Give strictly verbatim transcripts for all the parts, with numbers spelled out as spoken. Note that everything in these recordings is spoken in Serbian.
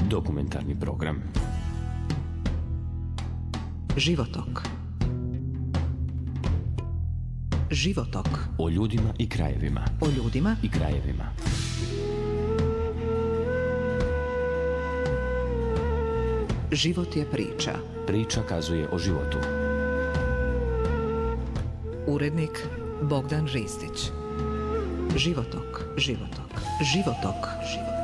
Dokumentarni program. Životok. Životok. O ljudima i krajevima. O ljudima i krajevima. Život je priča. Priča kazuje o životu. Urednik Bogdan Ristić. Životok. Životok. Životok. Životok.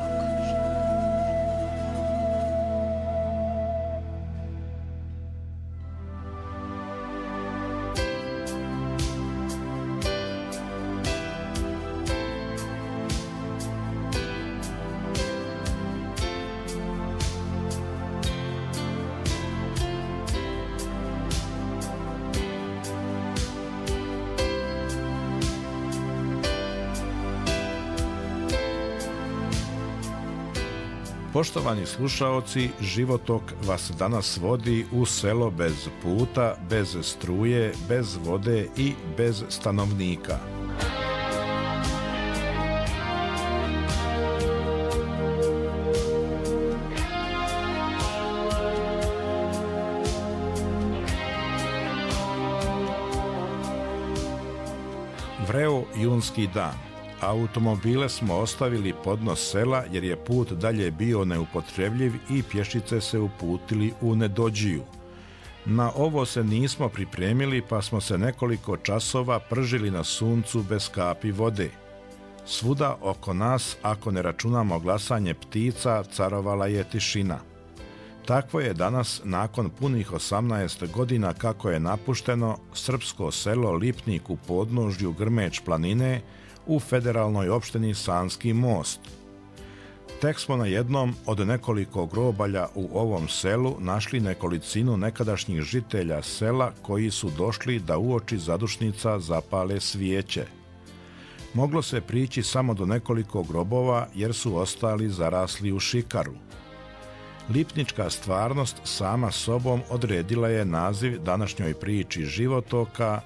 Poštovani slušaoci, Životok vas danas vodi u selo bez puta, bez struje, bez vode i bez stanovnika. Vreo junski dan. Automobile smo ostavili podnos sela jer je put dalje bio neupotrebljiv i pješice se uputili u Nedođiju. Na ovo se nismo pripremili pa smo se nekoliko časova pržili na suncu bez kapi vode. Svuda oko nas, ako ne računamo glasanje ptica, carovala je tišina. Takvo je danas, nakon punih osamnaest godina kako je napušteno, srpsko selo Lipnik u podnožju Grmeć planine u federalnoj opštini Sanski Most. Tek smo na jednom od nekoliko grobalja u ovom selu našli nekolicinu nekadašnjih žitelja sela koji su došli da uoči zadušnica zapale svijeće. Moglo se prići samo do nekoliko grobova jer su ostali zarasli u šikaru. Lipnička stvarnost sama sobom odredila je naziv današnjoj priči Životoka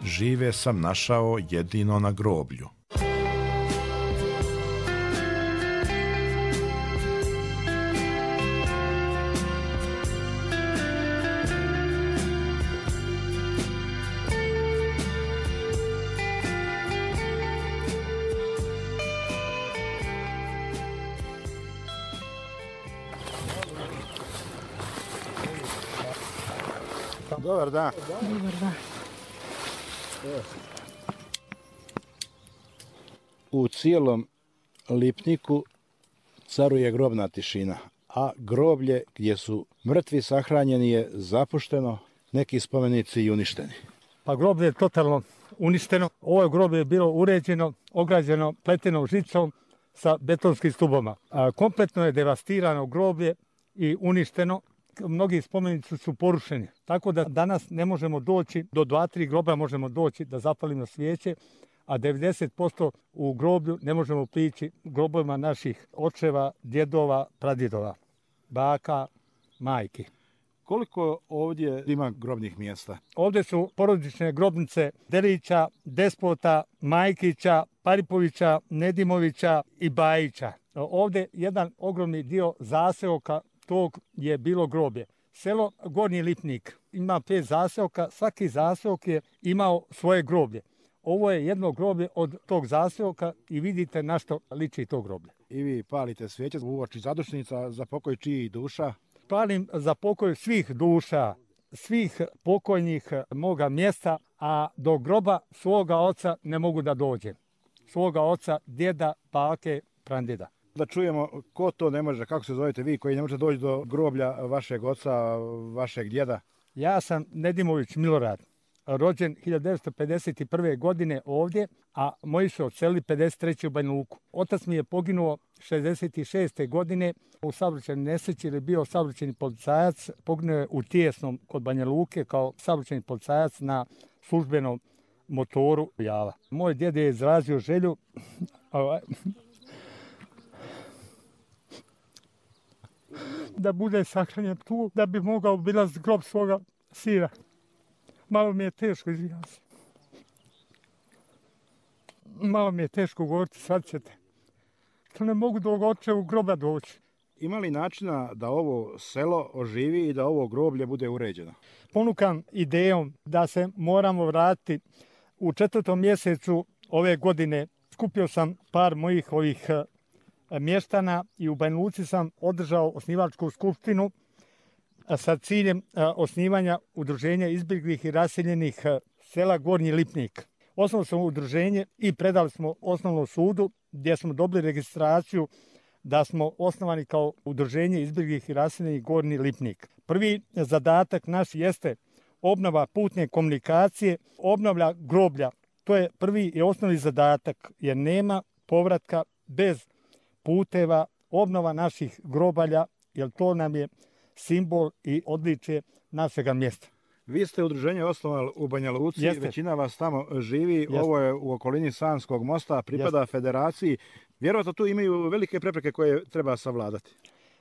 Žive sam našao jedino na groblju. Dobar dan. Dobar dan. U cijelom Lipniku caruje grobna tišina, a groblje gdje su mrtvi sahranjeni je zapušteno, neki spomenici i uništeni. Pa groblje je totalno uništeno. Ovo groblje je bilo uređeno, ograđeno pletenom žicom sa betonskim stuboma. A kompletno je devastirano groblje i uništeno. Mnogi spomenici su porušeni, tako da danas ne možemo doći, do dva, tri groba možemo doći da zapalimo svijeće, a devedeset posto u groblju ne možemo prići grobovima naših očeva, djedova, pradjedova, baka, majki. Koliko ovdje ima grobnih mjesta? Ovdje su porodične grobnice Delića, Despota, Majkića, Paripovića, Nedimovića i Bajića. Ovdje jedan ogromni dio zaseoka tog je bilo groblje. Selo Gornji Lipnik ima pet zaseoka, svaki zaseok je imao svoje groblje. Ovo je jedno groblje od tog zaseoka i vidite na što liči to groblje. I vi palite svijeće uoči zadušnica za pokoj čijih duša? Palim za pokoj svih duša, svih pokojnih moga mjesta, a do groba svoga oca ne mogu da dođem. Svoga oca, djeda, bake, prandjeda. Da čujemo ko to ne može, kako se zovete vi koji ne možete doći do groblja vašeg oca, vašeg djeda? Ja sam Nedimović Milorad, rođen hiljadu devetsto pedeset prve. godine ovdje, a moji su odselili pedeset treće. u Banja Luku. Otac mi je poginuo šezdeset šeste. godine u saobraćajnoj nesreći jer je bio saobraćajni policajac, poginuo je u Tijesnom kod Banja Luke kao saobraćajni policajac na službenom motoru Java. Moj djed je izrazio želju da bude sahranjen tu, da bi mogao obilaziti grob svoga sina. Malo mi je teško, izvinjam se. Malo mi je teško govoriti, sad ćete. To ne mogu do očevog groba doći. Ima li načina da ovo selo oživi i da ovo groblje bude uređeno? Ponukam idejom da se moramo vratiti u četvrtom mjesecu ove godine. Skupio sam par mojih ovih mještana i u Banja Luci sam održao osnivačku skupštinu sa ciljem osnivanja udruženja izbjeglih i raseljenih sela Gornji Lipnik. Osnovno smo udruženje i predali smo osnovnom sudu gdje smo dobili registraciju da smo osnovani kao udruženje izbjeglih i raseljenih Gornji Lipnik. Prvi zadatak naš jeste obnova putne komunikacije, obnavlja groblja. To je prvi i osnovni zadatak jer nema povratka bez puteva, obnova naših grobalja, jer to nam je simbol i odličje našega mjesta. Vi ste udruženje osnovali u Banja Luci, Jeste. Većina vas tamo živi, Jeste. Ovo je u okolini Sanskog mosta, pripada Jeste. Federaciji. Vjerojatno tu imaju velike prepreke koje treba savladati.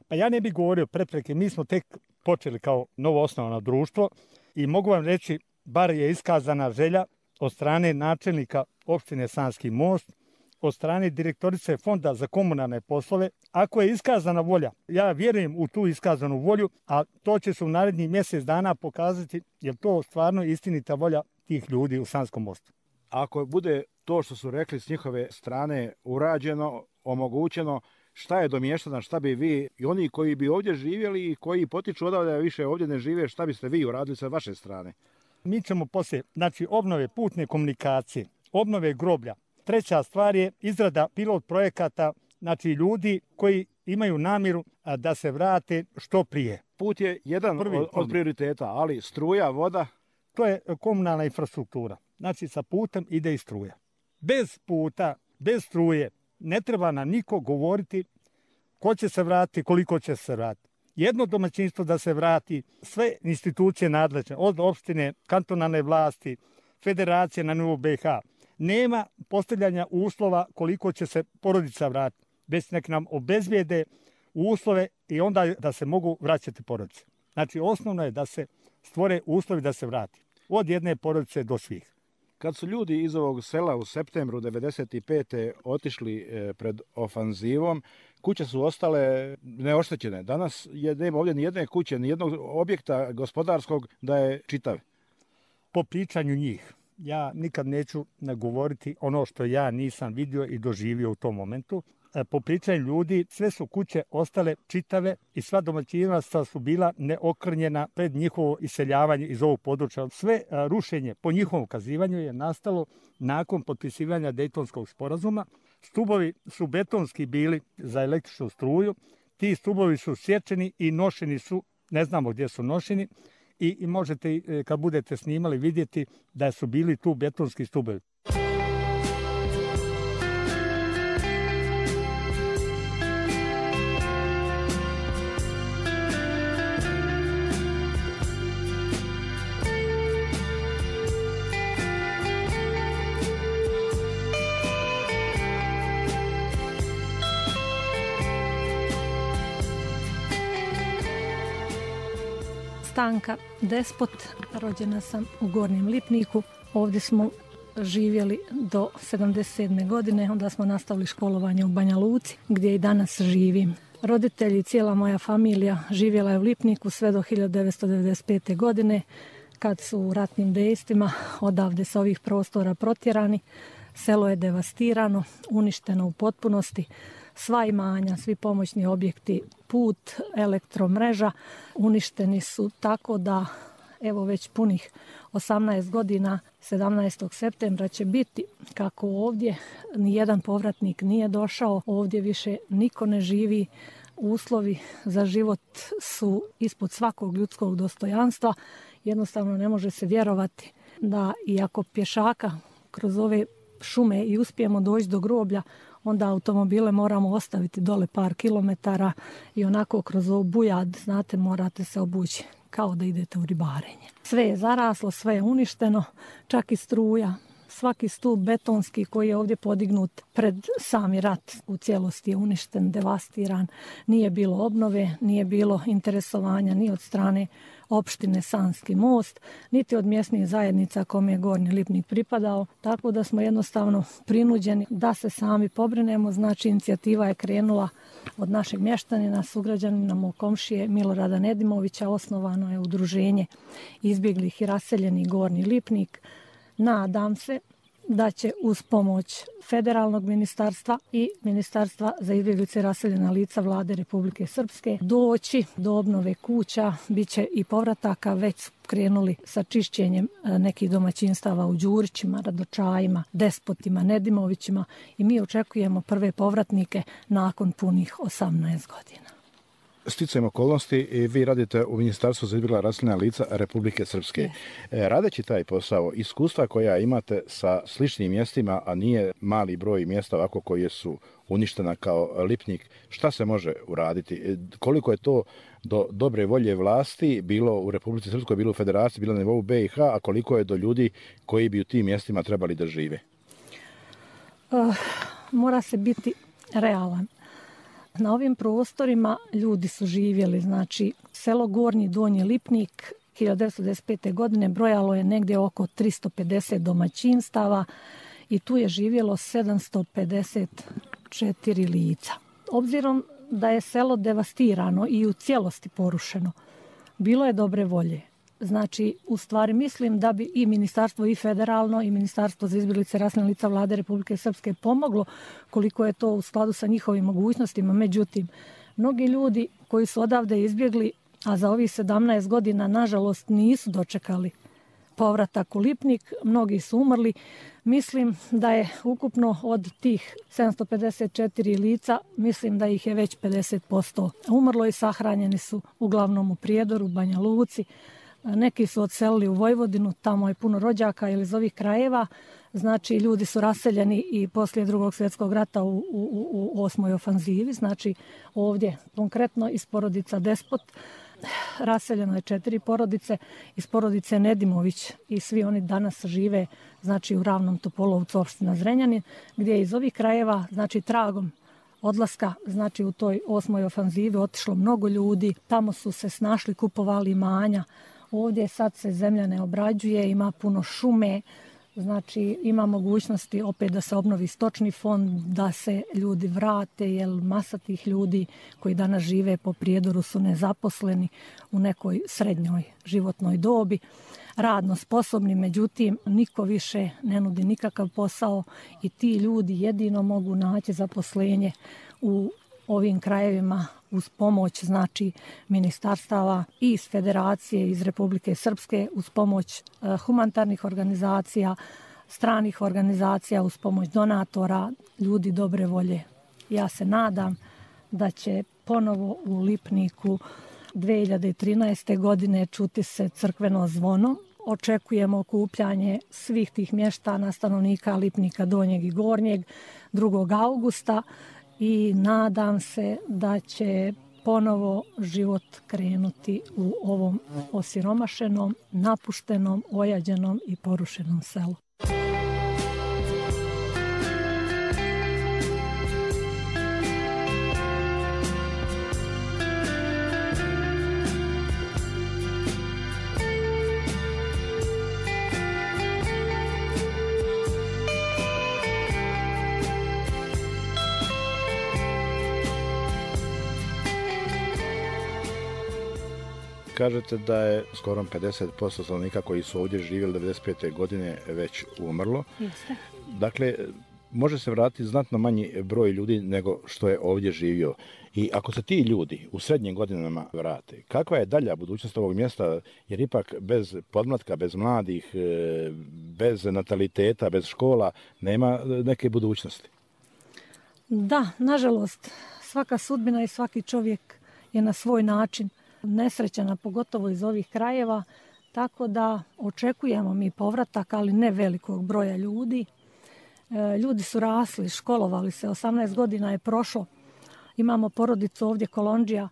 Pa ja ne bih govorio prepreke, mi smo tek počeli kao novo osnovano društvo i mogu vam reći, bar je iskazana želja od strane načelnika opštine Sanski most, od strane direktorice Fonda za komunalne poslove. Ako je iskazana volja, ja vjerujem u tu iskazanu volju, a to će se u narednih mjesec dana pokazati, jer to stvarno istinita volja tih ljudi u Sanskom mostu. Ako bude to što su rekli s njihove strane urađeno, omogućeno, šta je do mještana, šta bi vi i oni koji bi ovdje živjeli i koji potiču odavde više ovdje ne žive, šta biste vi uradili sa vaše strane? Mi ćemo poslije, znači obnove putne komunikacije, obnove groblja. Treća stvar je izrada pilot projekata, znači ljudi koji imaju namjeru da se vrate što prije. Put je jedan Prvi, od, od prioriteta, ali struja, voda? To je komunalna infrastruktura. Znači sa putem ide i struja. Bez puta, bez struje ne treba nam niko govoriti ko će se vratiti, koliko će se vratiti. Jedno domaćinstvo da se vrati, sve institucije nadležne, od opštine, kantonalne vlasti, federacije na nivou B iH, nema postavljanja uslova koliko će se porodica vratiti, već nek nam obezbijede uslove i onda da se mogu vraćati porodice. Znači osnovno je da se stvore uslovi da se vrati, od jedne porodice do svih. Kad su ljudi iz ovog sela u septembru devedeset pete otišli pred ofanzivom, kuće su ostale neoštećene. Danas je nema ovdje ni jedne kuće, ni jednog objekta gospodarskog da je čitav. Po pričanju njih, ja nikad neću govoriti ono što ja nisam vidio i doživio u tom momentu. Po pričanju ljudi, sve su kuće ostale čitave i sva domaćinstva su bila neokrnjena pred njihovo iseljavanje iz ovog područja. Sve rušenje po njihovom ukazivanju je nastalo nakon potpisivanja Dejtonskog sporazuma. Stubovi su betonski bili za električnu struju. Ti stubovi su sječeni i nošeni su, ne znamo gdje su nošeni, i, i možete kad budete snimali vidjeti da su bili tu betonski stubovi. Stanka Despot, rođena sam u Gornjem Lipniku. Ovdje smo živjeli do sedamdeset sedme godine, onda smo nastavili školovanje u Banja Luci, gdje i danas živim. Roditelji i cijela moja familija živjela je u Lipniku sve do hiljadu devetsto devedeset pete. godine, kad su u ratnim dejstvima odavde sa ovih prostora protjerani. Selo je devastirano, uništeno u potpunosti. Sva imanja, svi pomoćni objekti, put, elektromreža uništeni su tako da evo već punih osamnaest godina, sedamnaestog septembra će biti kako ovdje nijedan povratnik nije došao, ovdje više niko ne živi, uslovi za život su ispod svakog ljudskog dostojanstva, jednostavno ne može se vjerovati da iako pješaka kroz ove šume i uspijemo doći do groblja, onda automobile moramo ostaviti dole par kilometara i onako kroz ovu bujad, znate, morate se obući kao da idete u ribarenje. Sve je zaraslo, sve je uništeno, čak i struja. Svaki stup betonski koji je ovdje podignut pred sami rat u cijelosti je uništen, devastiran. Nije bilo obnove, nije bilo interesovanja ni od strane opštine Sanski Most, niti od mjesnih zajednica kome je Gornji Lipnik pripadao, tako da smo jednostavno prinuđeni da se sami pobrinemo. Znači, inicijativa je krenula od našeg mještanina, sugrađanina, mog komšije Milorada Nedimovića. Osnovano je udruženje izbjeglih i raseljenih Gornji Lipnik. Nadam se da će uz pomoć federalnog ministarstva i ministarstva za izbjeglice i raseljena lica Vlade Republike Srpske doći do obnove kuća, bit će i povrataka, već krenuli sa čišćenjem nekih domaćinstava u Đurićima, Radočajima, Despotima, Nedimovićima i mi očekujemo prve povratnike nakon punih osamnaest godina. Sticajem okolnosti i vi radite u Ministarstvu za izbjegla raseljena lica Republike Srpske. Yes. Radeći taj posao, iskustva koja imate sa sličnim mjestima, a nije mali broj mjesta ovako koje su uništena kao Lipnik, šta se može uraditi? Koliko je to do dobre volje vlasti bilo u Republici Srpskoj, bilo u Federaciji, bilo na nivou B i H, a koliko je do ljudi koji bi u tim mjestima trebali da žive? Uh, mora se biti realan. Na ovim prostorima ljudi su živjeli, znači selo Gornji Donji Lipnik hiljadu devetsto devedeset pete. godine brojalo je negdje oko tristo pedeset domaćinstava i tu je živjelo sedamsto pedeset četiri lica. Obzirom da je selo devastirano i u cijelosti porušeno, bilo je dobre volje. Znači, u stvari mislim da bi i ministarstvo i federalno i ministarstvo za izbjeglice i raseljena lica Vlade Republike Srpske pomoglo koliko je to u skladu sa njihovim mogućnostima. Međutim, mnogi ljudi koji su odavde izbjegli, a za ovih sedamnaest godina nažalost nisu dočekali povratak u Lipnik, mnogi su umrli. Mislim da je ukupno od tih sedamsto pedeset četiri lica, mislim da ih je već pedeset posto umrlo i sahranjeni su uglavnom u Prijedoru, Banja Luci. Neki su odselili u Vojvodinu, tamo je puno rođaka ili iz ovih krajeva. Znači, ljudi su raseljeni i poslije Drugog svjetskog rata u, u, u osmoj ofanzivi. Znači, ovdje konkretno iz porodica Despot raseljeno je četiri porodice, iz porodice Nedimović i svi oni danas žive, znači, u Ravnom Topolovcu, opština Zrenjanin, gdje je iz ovih krajeva, znači, tragom odlaska, znači u toj osmoj ofanzivi otišlo mnogo ljudi, tamo su se snašli, kupovali imanja. Ovdje sad se zemlja ne obrađuje, ima puno šume, znači ima mogućnosti opet da se obnovi stočni fond, da se ljudi vrate, jer masa tih ljudi koji danas žive po Prijedoru su nezaposleni u nekoj srednjoj životnoj dobi, radno sposobni, međutim niko više ne nudi nikakav posao i ti ljudi jedino mogu naći zaposlenje u ovim krajevima uz pomoć, znači, ministarstava i iz Federacije, iz Republike Srpske, uz pomoć uh, humanitarnih organizacija, stranih organizacija, uz pomoć donatora, ljudi dobre volje. Ja se nadam da će ponovo u Lipniku dve hiljade trinaeste. godine čuti se crkveno zvono. Očekujemo okupljanje svih tih mještana, stanovnika Lipnika Donjeg i Gornjeg drugog augusta. I nadam se da će ponovo život krenuti u ovom osiromašenom, napuštenom, ojađenom i porušenom selu. Kažete da je skoro pedeset posto stanovnika koji su ovdje živjeli devedeset pete. godine već umrlo. Jeste. Dakle, može se vratiti znatno manji broj ljudi nego što je ovdje živio. I ako se ti ljudi u srednjim godinama vrate, kakva je dalja budućnost ovog mjesta? Jer ipak bez podmlatka, bez mladih, bez nataliteta, bez škola, nema neke budućnosti. Da, nažalost, svaka sudbina i svaki čovjek je na svoj način nesrećena, pogotovo iz ovih krajeva, tako da očekujemo mi povratak, ali ne velikog broja ljudi. E, ljudi su rasli, školovali se, osamnaest godina je prošlo. Imamo porodicu ovdje Kolondžija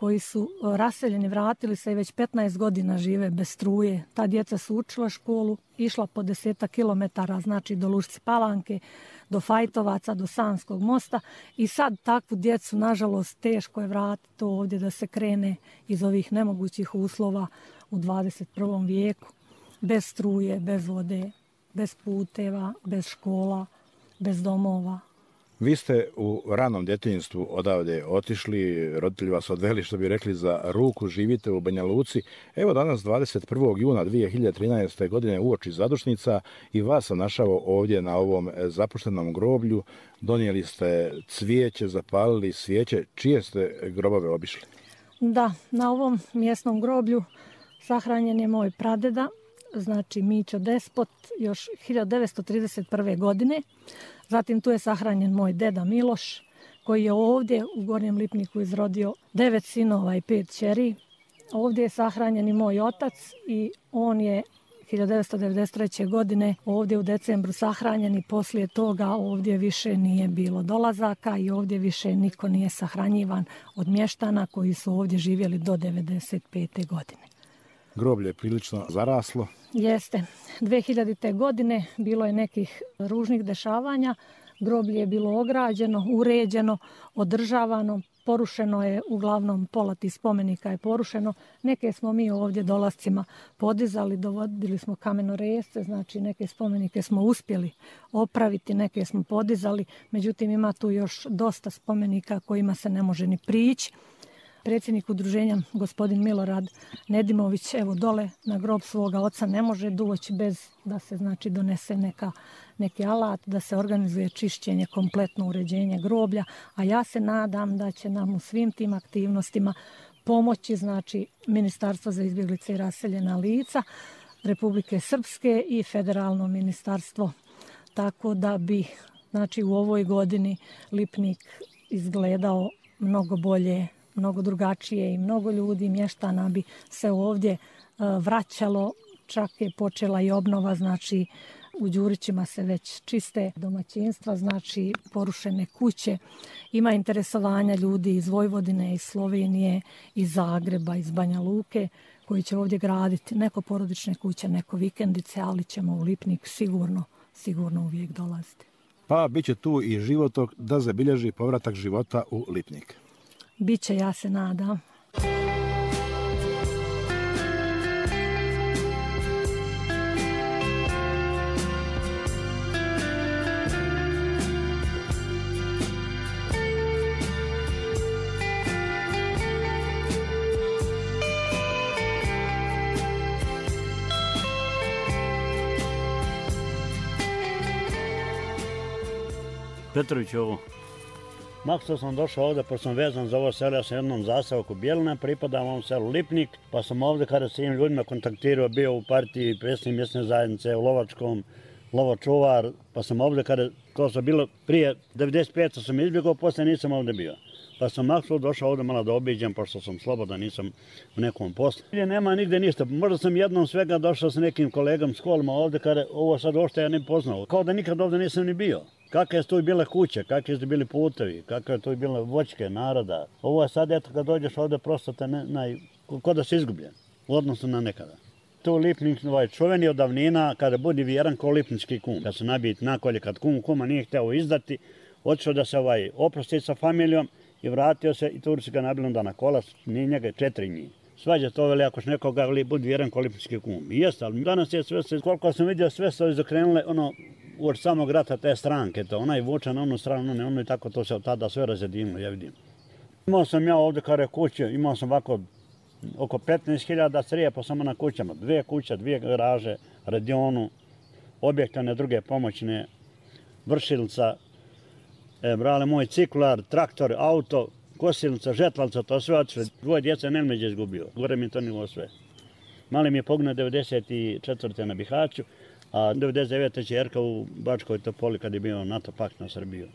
koji su raseljeni, vratili se i već petnaest godina žive bez struje. Ta djeca su učila školu, išla po deseta kilometara, znači do Lušci Palanke, do Fajtovaca, do Sanskog mosta i sad takvu djecu, nažalost, teško je vratiti ovdje da se krene iz ovih nemogućih uslova u dvadeset prvom vijeku. Bez struje, bez vode, bez puteva, bez škola, bez domova. Vi ste u ranom djetinjstvu odavde otišli, roditelji vas odveli, što bi rekli, za ruku, živite u Banja Luci. Evo danas dvadeset prvog juna dvije hiljade trinaeste. godine uoči zadušnica i vas sam našao ovdje na ovom zapuštenom groblju. Donijeli ste cvijeće, zapalili svijeće. Čije ste grobove obišli? Da, na ovom mjesnom groblju sahranjen je moj pradeda, znači Mićo Despot, još hiljadu devetsto trideset prve. godine. Zatim tu je sahranjen moj deda Miloš, koji je ovdje u Gornjem Lipniku izrodio devet sinova i pet kćeri. Ovdje je sahranjen i moj otac i on je hiljadu devetsto devedeset treće. godine ovdje u decembru sahranjen i poslije toga ovdje više nije bilo dolazaka i ovdje više niko nije sahranjivan od mještana koji su ovdje živjeli do devedeset pete. godine. Groblje je prilično zaraslo. Jeste. dve hiljadite. godine bilo je nekih ružnih dešavanja. Groblje je bilo ograđeno, uređeno, održavano. Porušeno je, uglavnom pola tih spomenika je porušeno. Neke smo mi ovdje dolascima podizali, dovodili smo kamenoresce, znači neke spomenike smo uspjeli opraviti, neke smo podizali. Međutim, ima tu još dosta spomenika kojima se ne može ni prići. Predsjednik udruženja, gospodin Milorad Nedimović, evo dole na grob svoga oca ne može doći bez da se znači donese neka, neki alat, da se organizuje čišćenje, kompletno uređenje groblja, a ja se nadam da će nam u svim tim aktivnostima pomoći znači Ministarstvo za izbjeglice i raseljena lica Republike Srpske i Federalno ministarstvo, tako da bi znači u ovoj godini Lipnik izgledao mnogo bolje, mnogo drugačije i mnogo ljudi, mještana bi se ovdje vraćalo, čak je počela i obnova, znači u Đurićima se već čiste domaćinstva, znači porušene kuće. Ima interesovanja ljudi iz Vojvodine, iz Slovenije, iz Zagreba, iz Banja Luke, koji će ovdje graditi neko porodične kuće, neko vikendice, ali ćemo u Lipnik sigurno, sigurno uvijek dolaziti. Pa bit će tu i životok da zabilježi povratak života u Lipnik. Biće, ja se nadam. Petrović ovo. Maksto sam došao ovdje, pošto sam vezan za ovo selo, ja sam jednom zastavku Bjelina, pripadam ovom selu Lipnik, pa sam ovdje kada s tim ljudima kontaktirao, bio u partiji predsjednik mjesne zajednice u Lovačkom, lovočuvar, pa sam ovdje kada, to sam bilo prije devedeset pete. sam izbjegao, poslije nisam ovdje bio. Pa sam makso došao ovdje malo da obiđem, pošto sam slobodan, nisam u nekom poslu. Nema nigde ništa, možda sam jednom svega došao sa nekim kolegom s kolima ovdje, kada ovo sad ošte ja ne poznao, kao da nikad ovdje nisam ni bio. Kakve su tu bile kuće, kakve su bili putevi, kakve su tu bile voćke naroda. Ovo je sad, eto, kad dođeš ovdje, prosto te ne, naj, ko da si izgubljen, u odnosu na nekada. Tu Lipnik, ovaj čuveni od davnina, kada budi vjeran ko lipnički kum. Kad se nabijit nakolje, kad kum kuma nije hteo izdati, otišao da se ovaj oprosti sa familijom i vratio se i Turci ga nabili onda na kola, nije njega četiri njih. Svađa to veli, ako nekoga budi vjeran ko lipnički kum. I jeste, ali danas je sve, koliko sam vidio, sve su izokrenule, ono, uoč samog rata te stranke, to onaj vuče na onu stranu, ono, ono i tako to se od tada sve razjedinilo, ja vidim. Imao sam ja ovdje kare kuće, imao sam ovako oko petnaest hiljada crijepa samo na kućama, dvije kuće, dvije garaže, radionu, objektane druge pomoćne, vršilca, e, brale moj ciklar, traktor, auto, kosilnica, žetlalca, to sve otišlo. Dvoje djeca Nelmeđe izgubio, gore mi to nivo sve. Mali mi je poginuo devedeset četvrte na Bihaću, a devedeset devete čerka u Bačkoj Topoli kad je bio NATO pakt na Srbiju.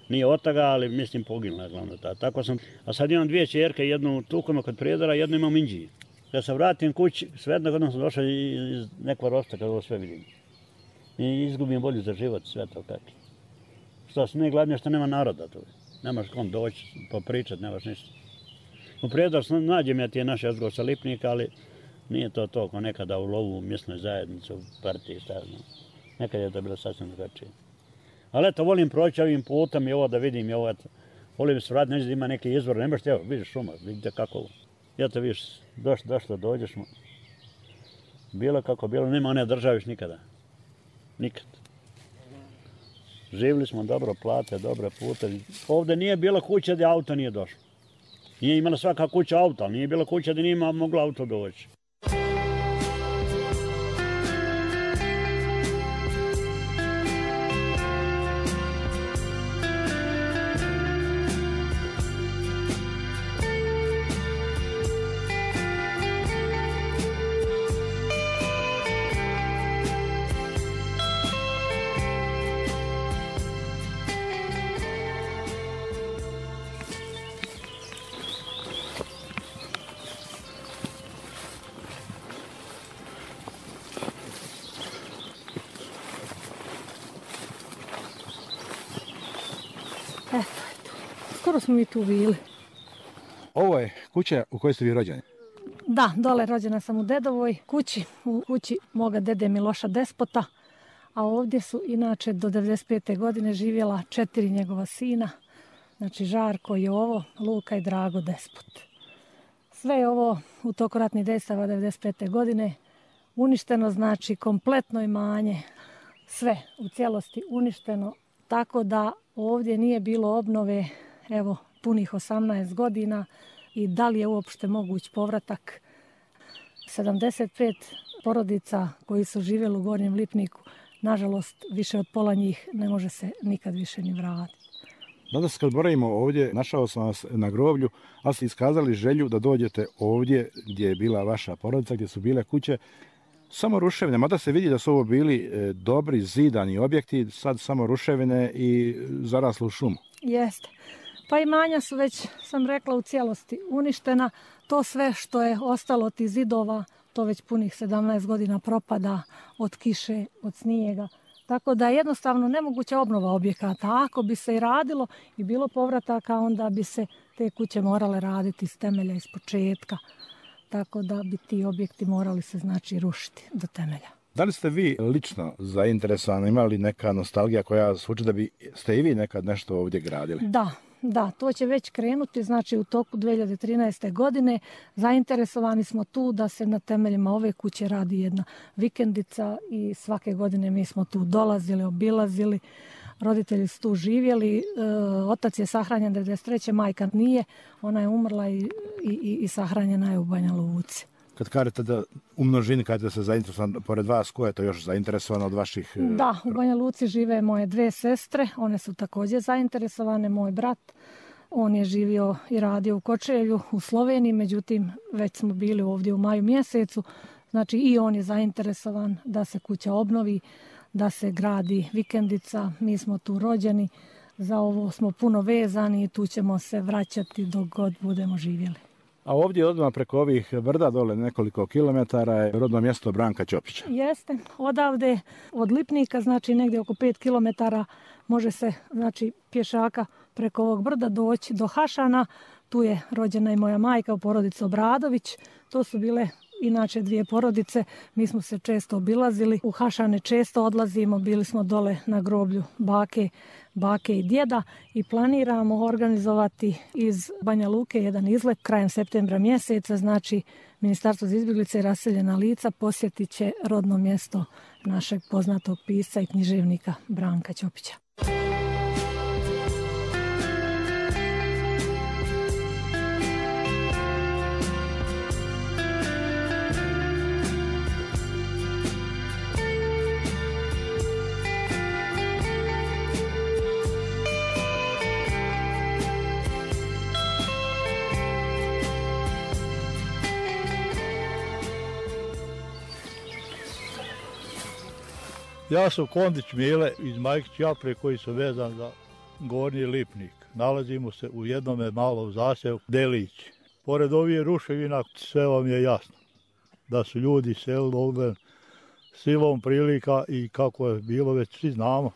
Nije od toga, ali mislim poginula glavno ta. Tako sam, a sad imam dvije čerke, jednu u Tukama kod Prijedora, jednu imam u Inđiji. Kad se vratim kući, sve jednog jednom sam došao iz nekog rosta kad ovo sve vidim. I izgubim volju za život, sve to kako. Što se ne glavnije što nema naroda tu. Nemaš kom doći, popričat, nemaš ništa. U Prijedoru nađem ja tije naše jezgro sa Lipnika, ali nije to to kao nekada u lovu, u mjesnoj zajednici, u partiji, šta znam. Nekad je to bilo sasvim drugačije. Ali eto, volim proći ovim putem i ovo da vidim i ovo, eto. Volim se vratiti, neće da ima neki izvor, ne možete, evo, vidiš šuma, vidite kako ovo. Eto, vidiš, došlo, došlo, dođeš mu. Bilo kako bilo, nema one države još nikada. Nikad. Živjeli smo dobro, plate, dobre pute. Ovdje nije bilo kuća gdje auto nije došlo. Nije imala svaka kuća auto, ali nije bilo kuća gdje nije moglo auto doći. Eto, eto. Skoro smo mi tu bili. Ovo je kuća u kojoj ste vi rođeni? Da, dole rođena sam u dedovoj kući, u kući moga dede Miloša Despota, a ovdje su inače do devedeset pete godine živjela četiri njegova sina, znači Žarko, Jovo, Luka i Drago Despot. Sve je ovo u toku ratnih dejstava devedeset pete godine uništeno, znači kompletno imanje, sve u cijelosti uništeno, tako da ovdje nije bilo obnove, evo, punih osamnaest godina i da li je uopšte moguć povratak. sedamdeset pet porodica koji su živjeli u Gornjem Lipniku, nažalost, više od pola njih ne može se nikad više ni vratiti. Danas kad boravimo ovdje, našao sam vas na groblju, ali ste iskazali želju da dođete ovdje gdje je bila vaša porodica, gdje su bile kuće, samo ruševine, mada se vidi da su ovo bili e, dobri zidani objekti, sad samo ruševine i zaraslo u šumu. Jeste. Pa imanja su već, sam rekla, u cijelosti uništena. To sve što je ostalo od tih zidova, to već punih sedamnaest godina propada od kiše, od snijega. Tako da je jednostavno nemoguća obnova objekata. Ako bi se i radilo i bilo povrataka, onda bi se te kuće morale raditi iz temelja, iz početka. Tako da bi ti objekti morali se znači rušiti do temelja. Da li ste vi lično zainteresovani, imali neka nostalgija koja zvuči da bi ste i vi nekad nešto ovdje gradili? Da, da, to će već krenuti, znači u toku dvije hiljade trinaeste. godine zainteresovani smo tu da se na temeljima ove kuće radi jedna vikendica i svake godine mi smo tu dolazili, obilazili, roditelji su tu živjeli, e, otac je sahranjen devedeset treće. majka nije, ona je umrla i, i, i sahranjena je u Banja Luci. Kad kažete da u množini, kažete da se zainteresovan, pored vas, ko je to još zainteresovano od vaših... Da, u Banja Luci žive moje dve sestre, one su također zainteresovane, moj brat, on je živio i radio u Kočevlju, u Sloveniji, međutim već smo bili ovdje u maju mjesecu, znači i on je zainteresovan da se kuća obnovi, da se gradi vikendica, mi smo tu rođeni, za ovo smo puno vezani i tu ćemo se vraćati dok god budemo živjeli. A ovdje odmah preko ovih brda dole nekoliko kilometara je rodno mjesto Branka Ćopića. Jeste, odavde od Lipnika, znači negdje oko pet kilometara može se, znači pješaka preko ovog brda doći do Hašana. Tu je rođena i moja majka u porodici Obradović. To su bile inače dvije porodice. Mi smo se često obilazili. U Hašane često odlazimo. Bili smo dole na groblju bake, bake i djeda i planiramo organizovati iz Banja Luke jedan izlet krajem septembra mjeseca. Znači, Ministarstvo za izbjeglice i raseljena lica posjetit će rodno mjesto našeg poznatog pisca i književnika Branka Ćopića. Ja sam Kondić Mile iz Majkić Japre koji sam vezan za Gornji Lipnik. Nalazimo se u jednome malom zaseoku Delić. Pored ovih ruševina sve vam je jasno da su ljudi selili ovdje silom prilika i kako je bilo već svi znamo.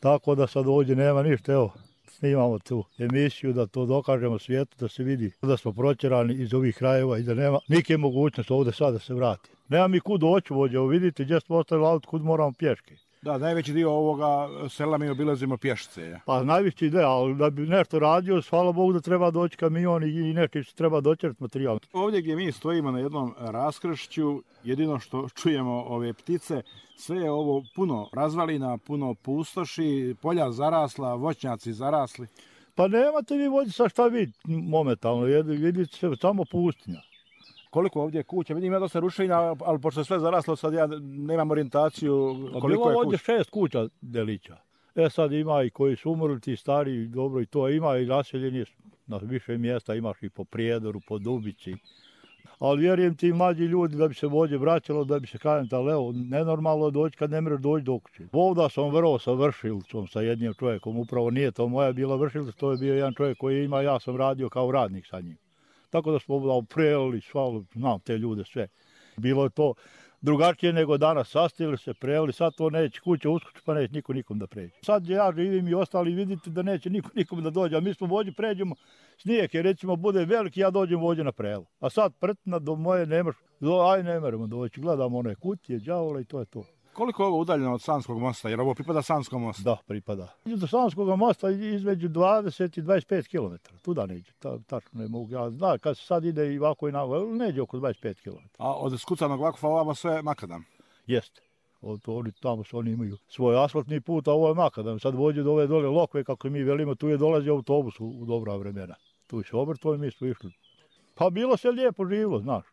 Tako da sad ovdje nema ništa. Evo, Mi imamo tu emisiju da to dokažemo svijetu, da se vidi da smo protjerani iz ovih krajeva i da nema nike mogućnosti ovdje sad da se vrati. Nema mi kud doći vođe, vidite gdje smo ostavili auto, kud moramo pješke. Da, najveći dio ovoga sela mi obilazimo pješice. Ja. Pa najveći ide, ali da bi nešto radio, hvala Bogu da treba doći kamion i neki što treba doćerati materijal. Ovdje gdje mi stojimo na jednom raskršću, jedino što čujemo ove ptice, sve je ovo puno razvalina, puno pustoši, polja zarasla, voćnjaci zarasli. Pa nemate vi vođe sa šta vidjeti momentalno, vidite se samo pustinja. Koliko ovdje je kuća? Vidim ja dosta rušenja, ali pošto je sve zaraslo, sad ja nemam orijentaciju koliko bilo je kuća. ovdje šest kuća delića. E sad ima i koji su umrli, ti stari, dobro i to ima i naseljeni na više mjesta, imaš i po Prijedoru, po Dubici. Ali vjerujem ti mlađi ljudi da bi se vođe vraćalo, da bi se kažem, ali evo, nenormalno doći kad ne mreš doći do kuće. Ovdje sam vrlo sa vršilcom, sa jednim čovjekom, upravo nije to moja bila vršilca, to je bio jedan čovjek koji ima, ja sam radio kao radnik sa njim. Tako da smo prelili, svalo, znam te ljude sve. Bilo je to drugačije nego danas, sastili se, prelili, sad to neće kuća uskoči pa neće niko nikom da pređe. Sad ja živim i ostali vidite da neće niko nikom da dođe, a mi smo vođe pređemo snijeg, jer recimo bude veliki, ja dođem vođe na prelu. A sad prtina do moje nemaš, do, aj ne meremo doći, gledamo one kutije, đavola i to je to. Koliko je ovo udaljeno od Sanskog mosta, jer ovo pripada Sanskom mostu? Da, pripada. Do Sanskog mosta između dvadeset i dvadeset pet kilometara, tuda neđe, ta, tačno ne mogu, ja znam kad se sad ide i ovako i nako, neđe oko dvadeset pet kilometara. A od Skucanog Vakufa ovamo sve makadam? Jeste. Oni, tamo su, oni imaju svoj asfaltni put, a ovo je makadam. Sad vođe do ove dole lokve, kako mi velimo, tu je dolazi autobus u, u dobra vremena. Tu se obrtvo i mi smo išli. Pa bilo se lijepo živilo, znaš.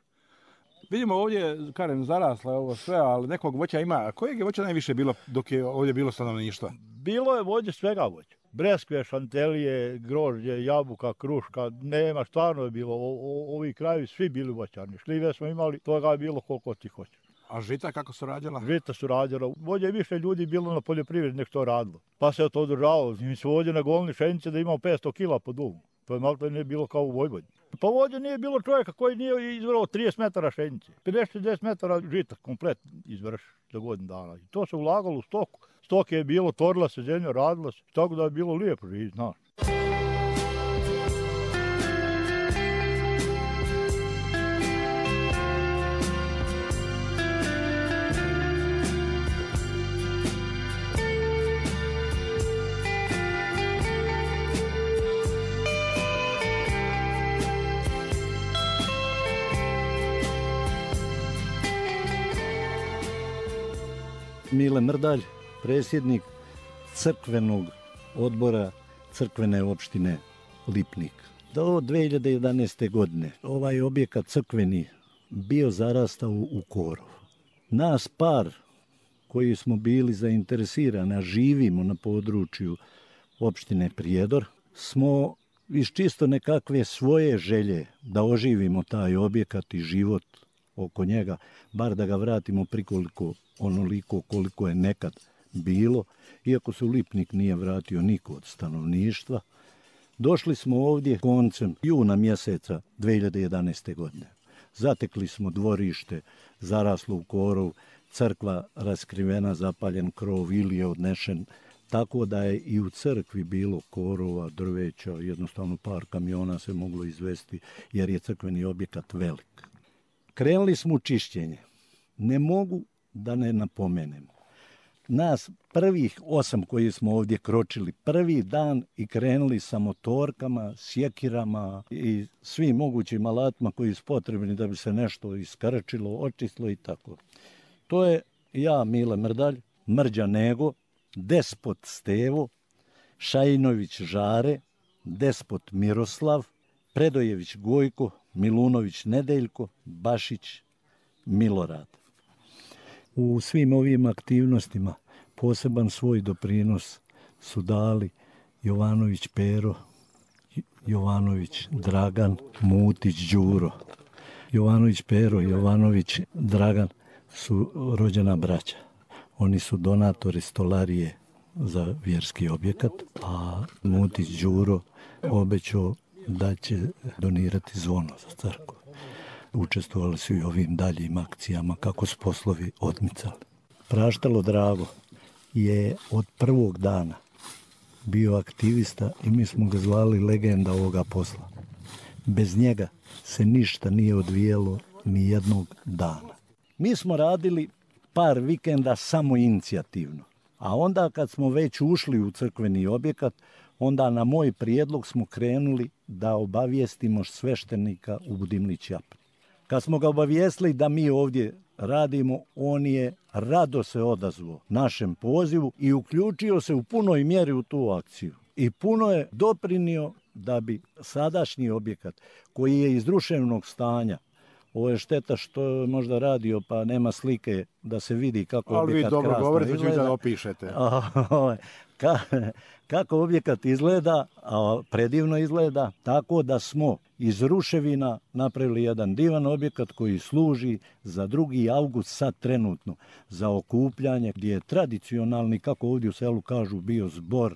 Vidimo ovdje, kažem, zarasla je ovo sve, ali nekog voća ima. A kojeg je voća najviše bilo dok je ovdje bilo stanovništva? Bilo je vođe svega voća. Breskve, šantelije, grožđe, jabuka, kruška, nema, stvarno je bilo. O, o, ovi krajevi svi bili voćarni. Šljive smo imali, toga je bilo koliko ti hoće. A žita kako su rađala? Žita su rađala. Vođe više ljudi bilo na poljoprivredi nek to radilo. Pa se to održavalo. Mi smo vođe na golni šenice da imamo petsto kila po dumu. To je malo to nije bilo kao u Vojvodini. Pa vođe nije bilo čovjeka koji nije izvrao trideset metara šenice. pedeset šezdeset metara žita komplet izvrš za godinu dana. I to se ulagalo u stoku. Stoke je bilo, tvorila se zemlja, radila se. Tako da je bilo lijepo živjeti, znaš. Mile Mrdalj, predsjednik crkvenog odbora crkvene opštine Lipnik. Do dve hiljade jedanaeste. godine ovaj objekat crkveni bio zarastao u korov. Nas par koji smo bili zainteresirani, a živimo na području opštine Prijedor, smo iz čisto nekakve svoje želje da oživimo taj objekat i život oko njega, bar da ga vratimo prikoliko onoliko koliko je nekad bilo, iako se u Lipnik nije vratio niko od stanovništva. Došli smo ovdje koncem juna mjeseca dve hiljade jedanaeste. godine. Zatekli smo dvorište, zaraslo u korov, crkva raskrivena, zapaljen krov ili je odnešen, tako da je i u crkvi bilo korova, drveća, jednostavno par kamiona se moglo izvesti jer je crkveni objekat velik. Krenuli smo u čišćenje. Ne mogu da ne napomenem. Nas prvih osam koji smo ovdje kročili prvi dan i krenuli sa motorkama, sjekirama i svim mogućim alatima koji su potrebni da bi se nešto iskrčilo, očistilo i tako. To je ja, Mile Mrdalj, Mrđa Nego, Despot Stevo, Šajinović Žare, Despot Miroslav, Predojević Gojko, Milunović Nedeljko, Bašić Milorad. U svim ovim aktivnostima poseban svoj doprinos su dali Jovanović Pero, Jovanović Dragan, Mutić Đuro. Jovanović Pero i Jovanović Dragan su rođena braća. Oni su donatori stolarije za vjerski objekat, a Mutić Đuro obećao da će donirati zvono za crkvu. Učestvovali su i ovim daljim akcijama kako su poslovi odmicali. Praštalo Drago je od prvog dana bio aktivista i mi smo ga zvali legenda ovoga posla. Bez njega se ništa nije odvijelo ni jednog dana. Mi smo radili par vikenda samo inicijativno, a onda kad smo već ušli u crkveni objekat, onda na moj prijedlog smo krenuli da obavijestimo sveštenika u Budimlić Japri. Kad smo ga obavijestili da mi ovdje radimo, on je rado se odazvao našem pozivu i uključio se u punoj mjeri u tu akciju. I puno je doprinio da bi sadašnji objekat, koji je iz ruševnog stanja, ovo je šteta što je možda radio pa nema slike da se vidi kako ali objekat krasno izgleda. Ali vi dobro govorite, da opišete. Ka, kako objekat izgleda, a predivno izgleda, tako da smo iz ruševina napravili jedan divan objekat koji služi za drugi avgust sad trenutno, za okupljanje, gdje je tradicionalni, kako ovdje u selu kažu, bio zbor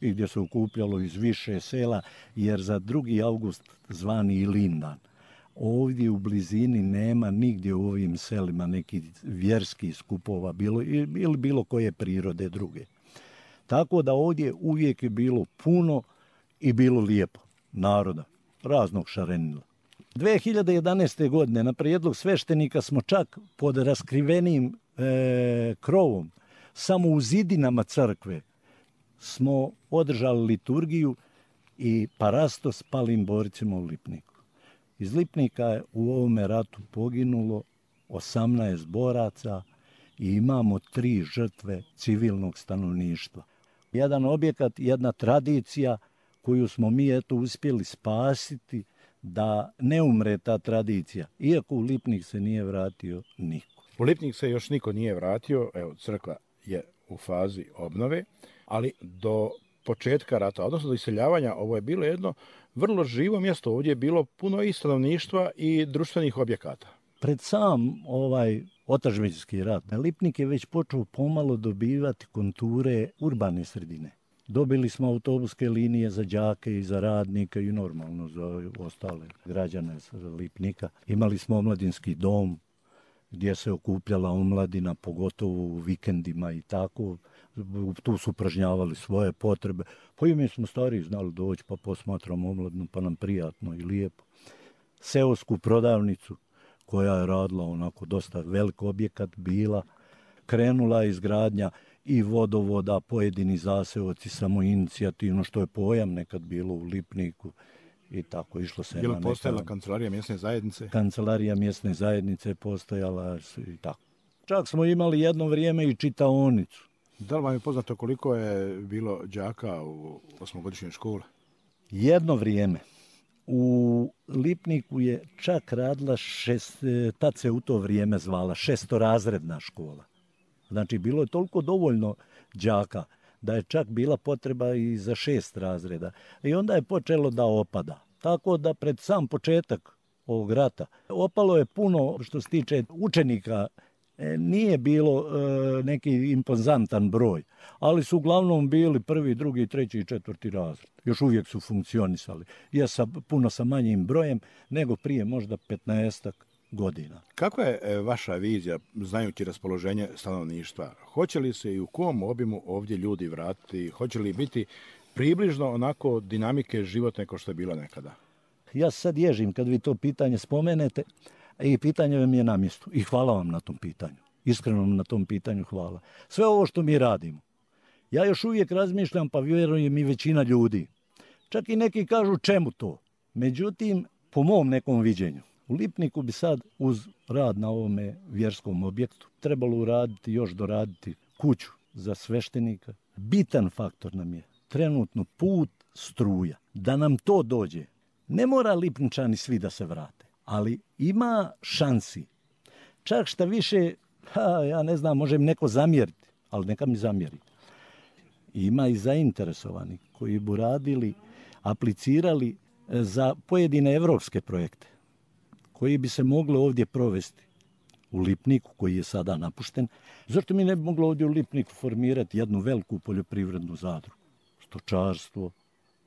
i gdje se okupljalo iz više sela, jer za drugi avgust zvani Ilindan. Ovdje u blizini nema nigdje u ovim selima nekih vjerskih skupova bilo, ili bilo koje prirode druge. Tako da ovdje uvijek je bilo puno i bilo lijepo naroda, raznog šarenila. dve hiljade jedanaeste. godine na prijedlog sveštenika smo čak pod raskrivenim e, krovom, samo u zidinama crkve, smo održali liturgiju i parasto s palim borcima u Lipniku. Iz Lipnika je u ovome ratu poginulo osamnaest boraca i imamo tri žrtve civilnog stanovništva. Jedan objekat, jedna tradicija koju smo mi eto uspjeli spasiti da ne umre ta tradicija, iako u Lipnik se nije vratio niko. U Lipnik se još niko nije vratio, evo crkva je u fazi obnove, ali do početka rata, odnosno do iseljavanja, ovo je bilo jedno vrlo živo mjesto. Ovdje je bilo puno i stanovništva i društvenih objekata. Pred sam ovaj otadžbinski rat, Lipnik je već počeo pomalo dobivati konture urbane sredine. Dobili smo autobuske linije za đake i za radnike i normalno za ostale građane Lipnika. Imali smo omladinski dom gdje se okupljala omladina, pogotovo u vikendima i tako. Tu su upražnjavali svoje potrebe. Pa i mi smo stariji znali doći pa posmatramo omladinu pa nam prijatno i lijepo. Seosku prodavnicu koja je radila onako dosta velik objekat bila, krenula je izgradnja i vodovoda, pojedini zaseoci samoinicijativno, što je pojam nekad bilo u Lipniku i tako išlo se. Je li postojala kancelarija mjesne zajednice? Kancelarija mjesne zajednice je postojala i tako. Čak smo imali jedno vrijeme i čitaonicu. Da li vam je poznato koliko je bilo đaka u osmogodišnjoj školi? Jedno vrijeme. U Lipniku je čak radila, šest, tad se u to vrijeme zvala šestorazredna škola. Znači, bilo je toliko dovoljno đaka da je čak bila potreba i za šest razreda. I onda je počelo da opada. Tako da pred sam početak ovog rata opalo je puno što se tiče učenika. Nije bilo e, neki impozantan broj, ali su uglavnom bili prvi, drugi, treći i četvrti razred. Još uvijek su funkcionisali. Ja sam puno sa manjim brojem nego prije možda petnaestak godina. Kako je e, vaša vizija, znajući raspoloženje stanovništva? Hoće li se i u kom obimu ovdje ljudi vratiti? Hoće li biti približno onako dinamike životne kao što je bilo nekada? Ja sad ježim kad vi to pitanje spomenete. I pitanje vam je na mjestu. I hvala vam na tom pitanju. Iskreno vam na tom pitanju hvala. Sve ovo što mi radimo. Ja još uvijek razmišljam, pa vjerujem i većina ljudi. Čak i neki kažu čemu to. Međutim, po mom nekom viđenju, u Lipniku bi sad uz rad na ovome vjerskom objektu trebalo uraditi, još doraditi kuću za sveštenika. Bitan faktor nam je trenutno put, struja. Da nam to dođe. Ne mora Lipničani svi da se vrate. Ali ima šansi. Čak šta više, ha, ja ne znam, može mi neko zamjeriti, ali neka mi zamjeri. Ima i zainteresovani koji bi radili, aplicirali za pojedine evropske projekte, koji bi se mogli ovdje provesti u Lipniku, koji je sada napušten. Zašto mi ne bi moglo ovdje u Lipniku formirati jednu veliku poljoprivrednu zadrugu? Stočarstvo,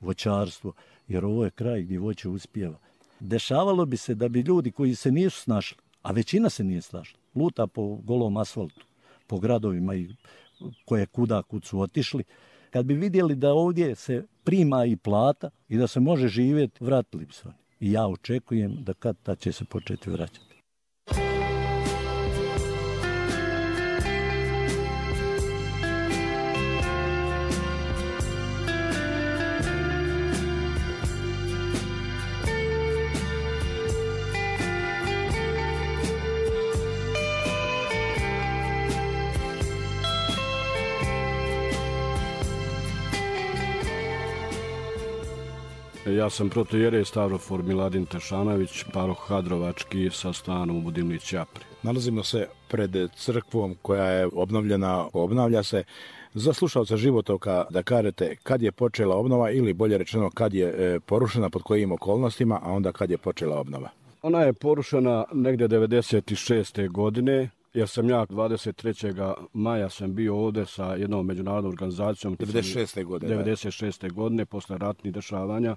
voćarstvo, jer ovo je kraj gdje voće uspijeva. Dešavalo bi se da bi ljudi koji se nisu snašli, a većina se nije snašla, luta po golom asfaltu, po gradovima i koje kuda kud su otišli, Kad bi vidjeli da ovdje se prima i plata i da se može živjeti, vratili bi se oni. I ja očekujem da kad tad će se početi vraćati. Ja sam protojerej Stavrofor Miladin Tešanović, paroh Hadrovački sa stanom u Budimlić Ćapri. Nalazimo se pred crkvom koja je obnovljena, obnavlja se. Za slušalca Životoka da kažete kad je počela obnova ili bolje rečeno kad je porušena, pod kojim okolnostima, a onda kad je počela obnova. Ona je porušena negdje devedeset šeste godine, jer sam ja dvadeset trećeg maja sam bio ovdje sa jednom međunarodnom organizacijom. devedeset šeste godine. devedeset šeste godine, posle ratnih dešavanja.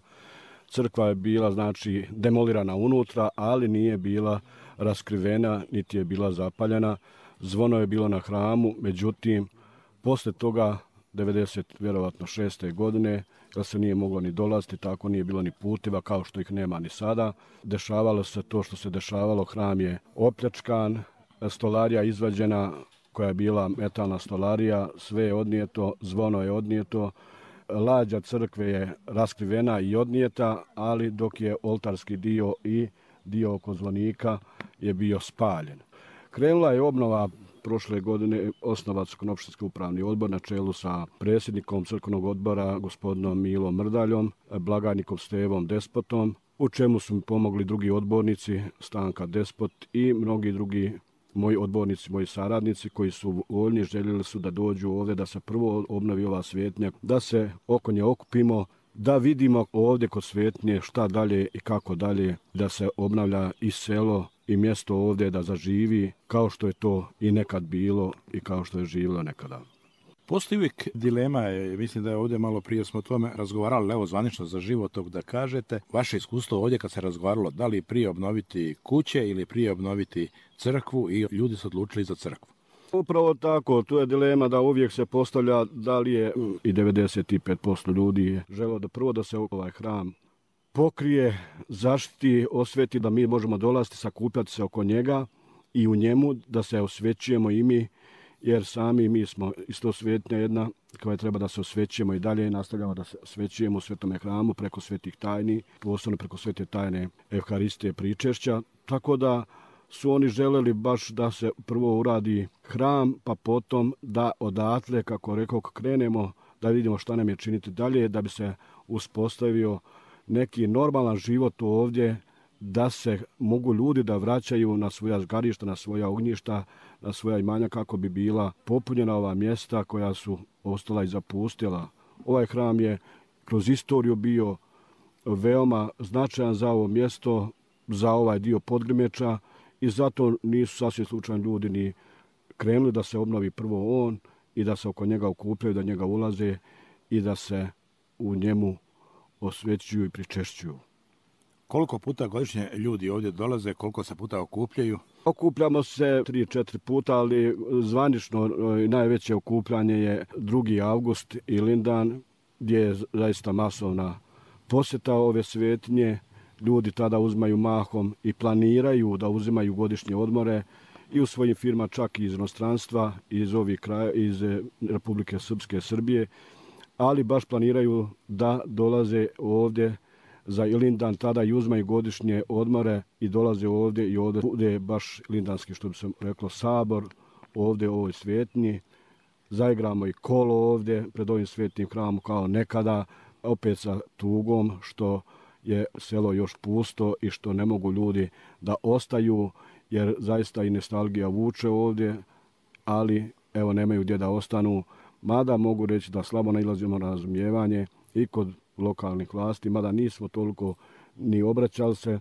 Crkva je bila, znači, demolirana unutra, ali nije bila raskrivena, niti je bila zapaljena. Zvono je bilo na hramu, međutim, posle toga, devedeset šeste godine, jer se nije moglo ni dolaziti, tako nije bilo ni putiva, kao što ih nema ni sada. Dešavalo se to što se dešavalo, hram je opljačkan, stolarija izvađena koja je bila metalna stolarija, sve je odnijeto, zvono je odnijeto, lađa crkve je raskrivena i odnijeta, ali dok je oltarski dio i dio oko zvonika je bio spaljen. Krenula je obnova prošle godine, osnovan Crkveno-opštinski upravni odbor na čelu sa predsjednikom crkvenog odbora gospodinom Milom Mrdaljom, blagajnikom Stevom Despotom, u čemu su mi pomogli drugi odbornici, Stanka Despot i mnogi drugi moji odbornici, moji saradnici koji su voljni, željeli su da dođu ovdje, da se prvo obnovi ova svetnja, da se oko nje okupimo, da vidimo ovdje kod svetnje šta dalje i kako dalje, da se obnavlja i selo i mjesto ovdje da zaživi kao što je to i nekad bilo i kao što je živjelo nekada. Postoji uvijek dilema, mislim da je ovdje malo prije smo o tome razgovarali, evo zvanično za Životok da kažete, vaše iskustvo ovdje kad se razgovaralo, da li prije obnoviti kuće ili prije obnoviti crkvu i ljudi su odlučili za crkvu. Upravo tako, tu je dilema da uvijek se postavlja da li je i devedeset pet posto ljudi je želo da prvo da se ovaj hram pokrije, zaštiti, osveti, da mi možemo dolaziti, sakupljati se oko njega i u njemu da se osvećujemo i mi, jer sami mi smo isto svetnja jedna koja treba da se osvećujemo i dalje nastavljamo da se osvećujemo u svetome hramu preko svetih tajni, posebno preko svete tajne Evharistije pričešća, tako da su oni želeli baš da se prvo uradi hram, pa potom da odatle, kako rekao, krenemo da vidimo šta nam je činiti dalje, da bi se uspostavio neki normalan život ovdje, da se mogu ljudi da vraćaju na svoja zgarišta, na svoja ognjišta, na svoja imanja kako bi bila popunjena ova mjesta koja su ostala i zapustila. Ovaj hram je kroz istoriju bio veoma značajan za ovo mjesto, za ovaj dio Podgrimeča i zato nisu sasvim slučajni ljudi ni krenuli da se obnovi prvo on i da se oko njega okupljaju, da njega ulaze i da se u njemu osvećuju i pričešćuju. Koliko puta godišnje ljudi ovdje dolaze, koliko se puta okupljaju? Okupljamo se tri četiri puta, ali zvanično najveće okupljanje je drugi avgust i Lindan, gdje je zaista masovna posjeta ove svetnje. Ljudi tada uzmaju mahom i planiraju da uzimaju godišnje odmore i u svojim firma čak i iz inostranstva, iz ovih kraja, iz Republike Srpske, Srbije, ali baš planiraju da dolaze ovdje za Ilindan, tada i uzmaju godišnje odmore i dolaze ovdje i ovdje bude baš lindanski, što bi se reklo, sabor ovdje u ovoj svetnji. Zaigramo i kolo ovdje pred ovim svetnim hramom kao nekada, opet sa tugom što je selo još pusto i što ne mogu ljudi da ostaju, jer zaista i nostalgija vuče ovdje, ali evo nemaju gdje da ostanu. Mada mogu reći da slabo nailazimo na razumijevanje i kod lokalnih vlasti, mada nismo toliko ni obraćali se,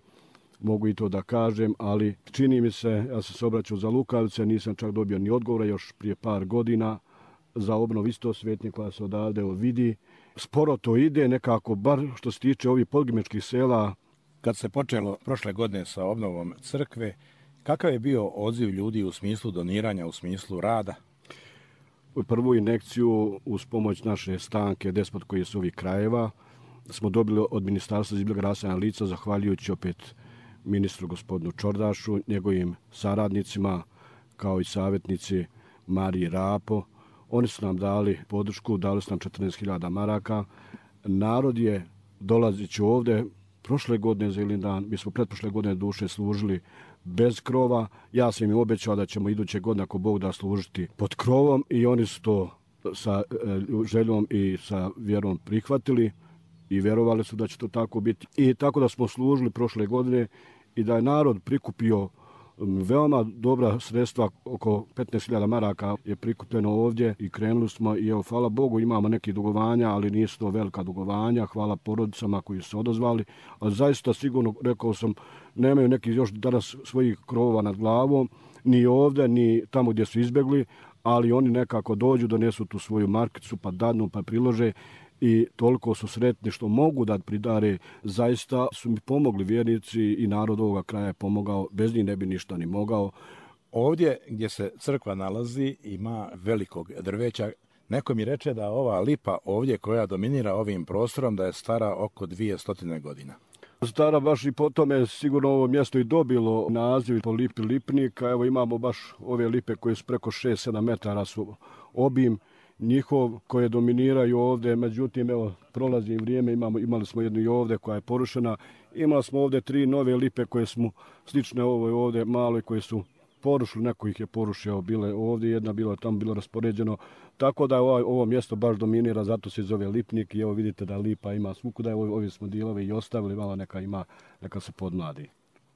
mogu i to da kažem, ali čini mi se, ja sam se obraćao za Lukavice, nisam čak dobio ni odgovora još prije par godina za obnov isto svetnje koja se odavde vidi. Sporo to ide nekako, bar što se tiče ovih podgrimečkih sela. Kad se počelo prošle godine sa obnovom crkve, kakav je bio odziv ljudi u smislu doniranja, u smislu rada? prvu injekciju uz pomoć naše stanke Despot koji je s ovih krajeva smo dobili od Ministarstva za izbjeg rasena lica, zahvaljujući opet ministru gospodinu Čordašu, njegovim saradnicima, kao i savjetnici Mariji Rapo. Oni su nam dali podršku, dali su nam četrnaest hiljada maraka. Narod je, dolazeći ovde, prošle godine za Ilindan, mi smo pretprošle godine duše služili bez krova. Ja sam im obećao da ćemo iduće godine, ako Bog da, služiti pod krovom i oni su to sa željom i sa vjerom prihvatili i vjerovali su da će to tako biti. I tako da smo služili prošle godine i da je narod prikupio veoma dobra sredstva, oko petnaest hiljada maraka je prikupljeno ovdje i krenuli smo i evo, hvala Bogu, imamo neki dugovanja, ali nisu to velika dugovanja, hvala porodicama koji su odazvali, ali zaista sigurno, rekao sam, nemaju neki još danas svojih krovova nad glavom, ni ovdje, ni tamo gdje su izbjegli, ali oni nekako dođu, donesu tu svoju markicu, pa dadnu, pa prilože i toliko su sretni što mogu da pridare. Zaista su mi pomogli vjernici i narod ovoga kraja je pomogao, bez njih ne bi ništa ni mogao. Ovdje gdje se crkva nalazi ima velikog drveća. Neko mi reče da ova lipa ovdje koja dominira ovim prostorom da je stara oko dvije stotine godina. Stara baš i po tome sigurno ovo mjesto i dobilo naziv po lipi lipnika. Evo imamo baš ove lipe koje su preko šest sedam metara su obim njihov koje dominiraju ovdje, međutim evo prolazi vrijeme, imamo, imali smo jednu i ovdje koja je porušena, imali smo ovdje tri nove lipe koje smo slične ovoj ovdje maloj koje su porušili, neko ih je porušio, bile ovdje, jedna bila tamo, bilo raspoređeno, tako da ovo, ovo mjesto baš dominira, zato se zove Lipnik i evo vidite da lipa ima svukuda, evo ovi smo dijelove i ostavili, malo neka ima, neka se podmladi.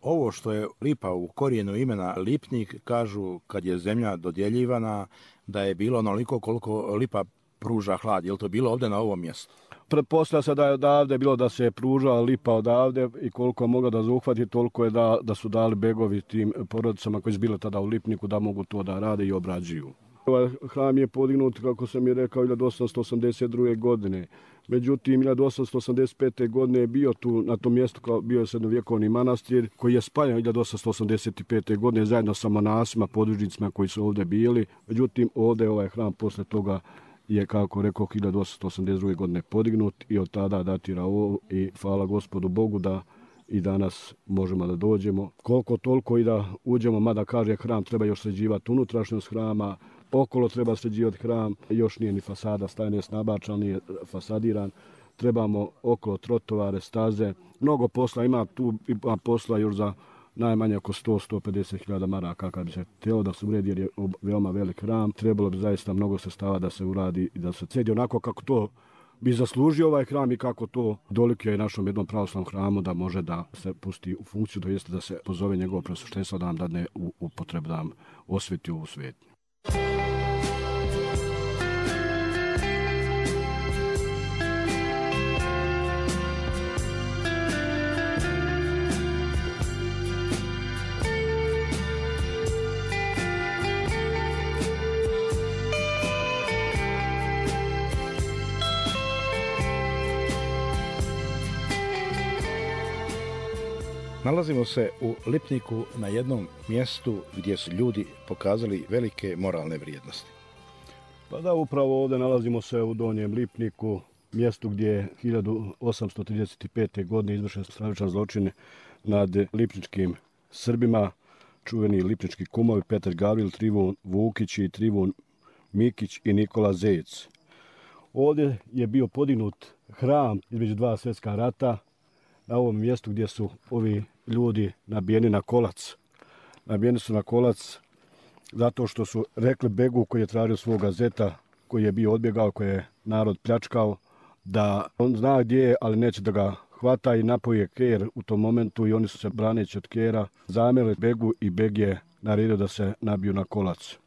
Ovo što je lipa u korijenu imena Lipnik, kažu kad je zemlja dodjeljivana da je bilo onoliko koliko lipa pruža hlad. Je li to bilo ovdje na ovom mjestu? Pretpostavlja se da je odavde bilo da se je pružala lipa odavde i koliko je mogla da zauhvati, toliko je da, da su dali begovi tim porodicama koji su bile tada u Lipniku da mogu to da rade i obrađuju. Ovaj hram je podignut, kako sam i rekao, hiljadu osamsto osamdeset druge. godine. Međutim, hiljadu osamsto osamdeset pete. godine je bio tu na tom mjestu, kao bio je srednjovjekovni manastir koji je spaljen hiljadu osamsto osamdeset pete. godine zajedno sa monasima, podružnicima koji su ovdje bili. Međutim, ovdje je ovaj hram posle toga je, kako rekao, hiljadu osamsto osamdeset druge. godine podignut i od tada datira ovo i hvala Gospodu Bogu da i danas možemo da dođemo. Koliko toliko i da uđemo, mada kaže hram treba još sređivati unutrašnjost hrama, okolo treba sređivati hram, još nije ni fasada stajne snabačan, nije fasadiran. Trebamo okolo trotovare, staze. Mnogo posla ima tu, ima posla još za najmanje oko sto do sto pedeset hiljada maraka kad bi se htjelo da se uredi jer je veoma velik hram. Trebalo bi zaista mnogo sredstava da se uradi i da se sredi onako kako to bi zaslužio ovaj hram i kako to dolikuje našom jednom pravoslavnom hramu da može da se pusti u funkciju, to jeste da se pozove njegovo preosveštenstvo da nam dadne u upotrebu da nam osveti ovu svetnju. Nalazimo se u Lipniku na jednom mjestu gdje su ljudi pokazali velike moralne vrijednosti. Pa da, upravo ovdje nalazimo se u Donjem Lipniku, mjestu gdje je hiljadu osamsto trideset pete. godine izvršen stravičan zločin nad lipničkim Srbima, čuveni lipnički kumovi Petar Gavril, Trivun Vukić i Trivun Mikić i Nikola Zec. Ovdje je bio podignut hram između dva svjetska rata, na ovom mjestu gdje su ovi ljudi nabijeni na kolac. Nabijeni su na kolac zato što su rekli Begu koji je tražio svoga zeta, koji je bio odbjegao, koji je narod pljačkao, da on zna gdje je, ali neće da ga hvata i napoje ker u tom momentu i oni su se braneći od kera zamjerili Begu i Beg je naredio da se nabiju na kolac.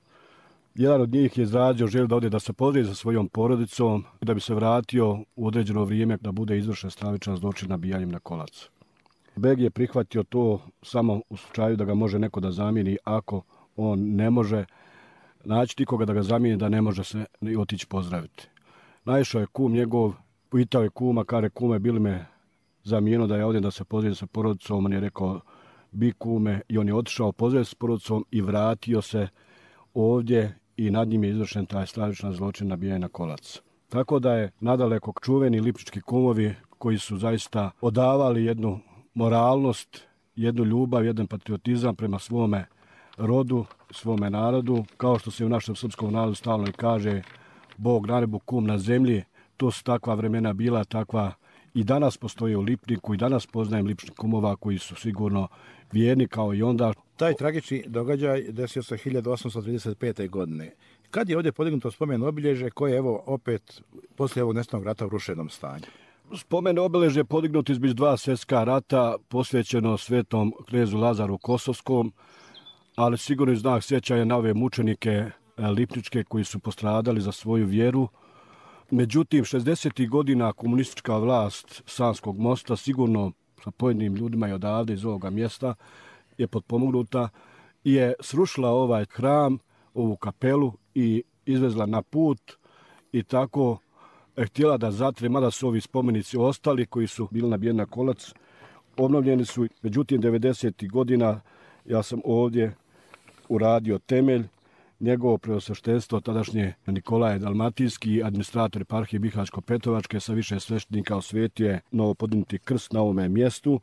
Jedan od njih je izrađio želju da ode da se pozdravi sa svojom porodicom i da bi se vratio u određeno vrijeme da bude izvršen stravičan zločin nabijanjem na kolac. Beg je prihvatio to samo u slučaju da ga može neko da zamijeni ako on ne može naći nikoga da ga zamijeni, da ne može se otići pozdraviti. Naišao je kum njegov, pitao je kuma, kare kume, bili me zamijeno da je ovdje da se pozdravi sa porodicom, on je rekao bi kume i on je otišao pozdraviti s porodicom i vratio se ovdje i nad njim je izvršen taj stravičan zločin nabijanja na kolac. Tako da je nadaleko čuveni lipnički kumovi koji su zaista odavali jednu moralnost, jednu ljubav, jedan patriotizam prema svome rodu, svome narodu, kao što se u našem srpskom narodu stalno i kaže Bog na nebu, kum na zemlji. To su takva vremena bila, takva i danas postoje u Lipniku i danas poznajem lipničkih kumova koji su sigurno vjerni kao i onda. Taj tragični događaj desio se hiljadu osamsto trideset pete. godine. Kad je ovdje podignuto spomen obilježje koje je evo opet poslije ovog nestalnog rata u rušenom stanju? Spomen obilježje je podignuto između dva svjetska rata, posvećeno svetom knezu Lazaru Kosovskom, ali sigurno znak sjećanja na ove mučenike lipničke koji su postradali za svoju vjeru. Međutim, šezdesetih godina komunistička vlast Sanskog mosta, sigurno sa pojedinim ljudima i odavde iz ovoga mjesta, je potpomognuta i je srušila ovaj hram, ovu kapelu i izvezla na put i tako je htjela da zatre, mada su ovi spomenici ostali koji su bili nabijeni na kolac, obnovljeni su. Međutim, devedesetih godina ja sam ovdje uradio temelj, njegovo preosveštenstvo, tadašnje Nikolaje Dalmatijski, administrator eparhije Bihaćko-Petrovačke sa više sveštenika osvetio je novo podignuti krst na ovome mjestu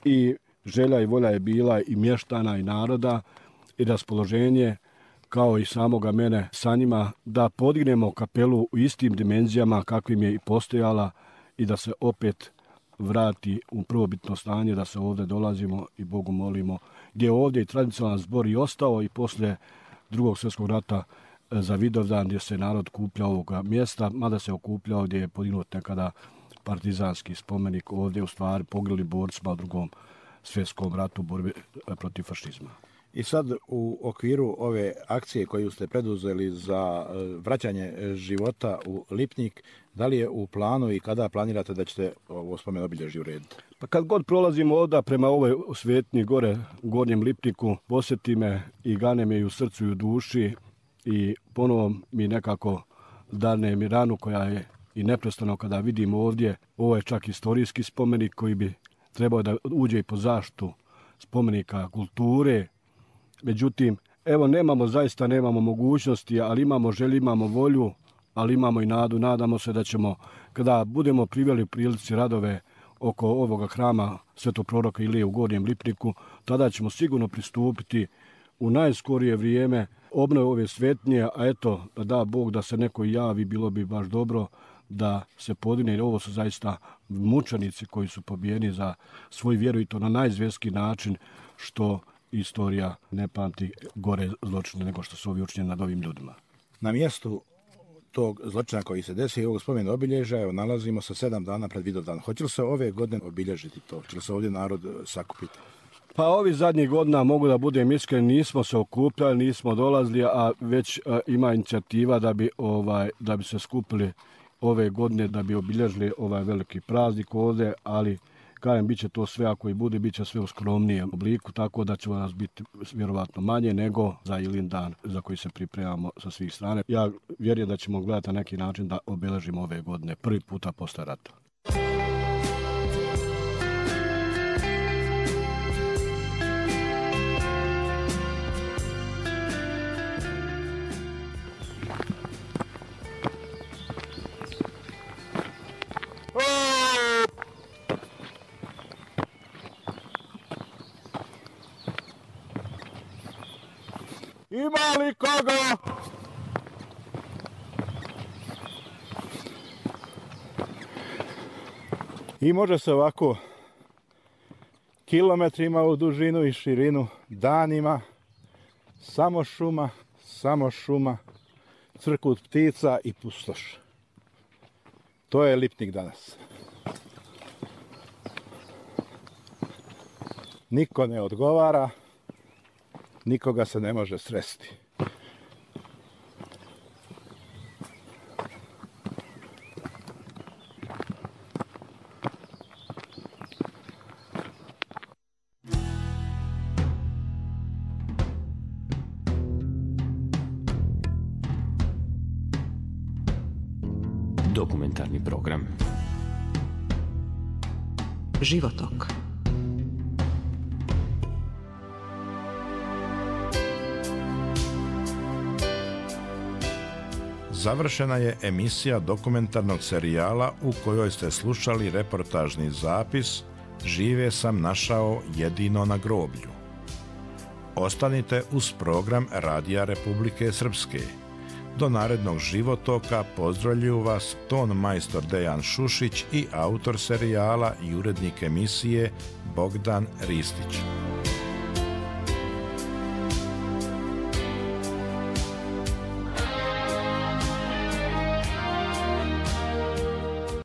i želja i volja je bila i mještana i naroda i raspoloženje kao i samoga mene sa njima da podignemo kapelu u istim dimenzijama kakvim je i postojala i da se opet vrati u prvobitno stanje, da se ovdje dolazimo i Bogu molimo, gdje je ovdje i tradicionalan zbor i ostao i poslije Drugog svjetskog rata za Vidovdan gdje se narod kupljao ovoga mjesta, mada se okupljao gdje je podignut nekada partizanski spomenik, ovdje u stvari poginuli borcima u Drugom svjetskom ratu borbe protiv fašizma. I sad u okviru ove akcije koju ste preduzeli za vraćanje života u Lipnik, da li je u planu i kada planirate da ćete ovo spomen obilježje urediti? Pa kad god prolazimo ovdje prema ovoj svetnji gore u Gornjem Lipniku, posjeti me i gane me i u srcu i u duši i ponovo mi nekako dane mi ranu koja je i neprestano kada vidim ovdje. Ovo je čak istorijski spomenik koji bi trebao da uđe i po zaštitu spomenika kulture. Međutim, evo nemamo, zaista nemamo mogućnosti, ali imamo želju, imamo volju, ali imamo i nadu. Nadamo se da ćemo, kada budemo priveli u prilici radove oko ovoga hrama Svetog proroka Ilije u Gornjem Lipniku, tada ćemo sigurno pristupiti u najskorije vrijeme obnove ove svetnje, a eto, da da Bog da se neko javi, bilo bi baš dobro da se podigne, jer ovo su zaista mučenici koji su pobijeni za svoju vjeru i to na najzvjerski način, što istorija ne pamti gore zločine nego što su ovi učinjeni nad ovim ljudima. Na mjestu tog zločina koji se desi i ovog spomena obilježja, evo, nalazimo se sedam dana pred Vidovdan. Hoće li se ove godine obilježiti to? Hoće li se ovdje narod sakupiti? Pa ovi zadnjih godina, mogu da budem iskren, nismo se okupljali, nismo dolazili, a već a, ima inicijativa da bi, ovaj, da bi se skupili ove godine, da bi obilježili ovaj veliki praznik ovdje, ali kažem, bit će to sve, ako i bude, bit će sve u skromnijem obliku, tako da će nas biti vjerovatno manje nego za Ilin dan za koji se pripremamo sa svih strane. Ja vjerujem da ćemo gledati na neki način da obeležimo ove godine prvi puta posle rata. Ima li koga? I može se ovako kilometrima u dužinu i širinu, danima, samo šuma, samo šuma, crkut ptica i pustoš. To je Lipnik danas. Niko ne odgovara, nikoga se ne može sresti. Dokumentarni program Životok. završena je emisija dokumentarnog serijala u kojoj ste slušali reportažni zapis Žive sam našao jedino na groblju. Ostanite uz program Radija Republike Srpske. Do narednog životoka pozdravljuju vas ton majstor Dejan Šušić i autor serijala i urednik emisije Bogdan Ristić.